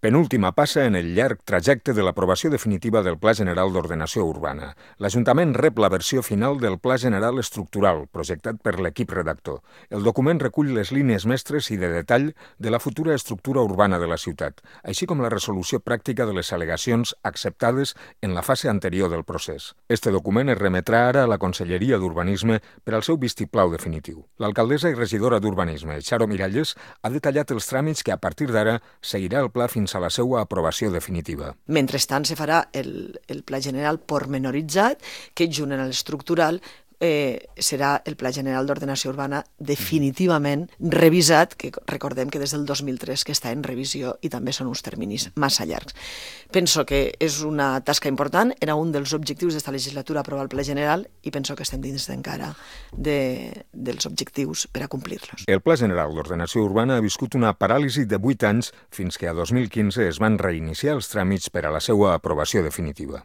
Penúltima passa en el llarg trajecte de l'aprovació definitiva del Pla General d'Ordenació Urbana. L'Ajuntament rep la versió final del Pla General Estructural, projectat per l'equip redactor. El document recull les línies mestres i de detall de la futura estructura urbana de la ciutat, així com la resolució pràctica de les al·legacions acceptades en la fase anterior del procés. Este document es remetrà ara a la Conselleria d'Urbanisme per al seu vistiplau definitiu. L'alcaldessa i regidora d'Urbanisme, Charo Miralles, ha detallat els tràmits que a partir d'ara seguirà el pla fins a la seva aprovació definitiva. Mentrestant, se farà el pla general pormenoritzat, que junt en l'estructural serà el Pla General d'Ordenació Urbana definitivament revisat, que recordem que des del 2003 que està en revisió i també són uns terminis massa llargs. Penso que és una tasca important, era un dels objectius d'esta legislatura aprovar el Pla General i penso que estem dins encara dels objectius per a complir-los. El Pla General d'Ordenació Urbana ha viscut una paràlisi de 8 anys fins que a 2015 es van reiniciar els tràmits per a la seva aprovació definitiva.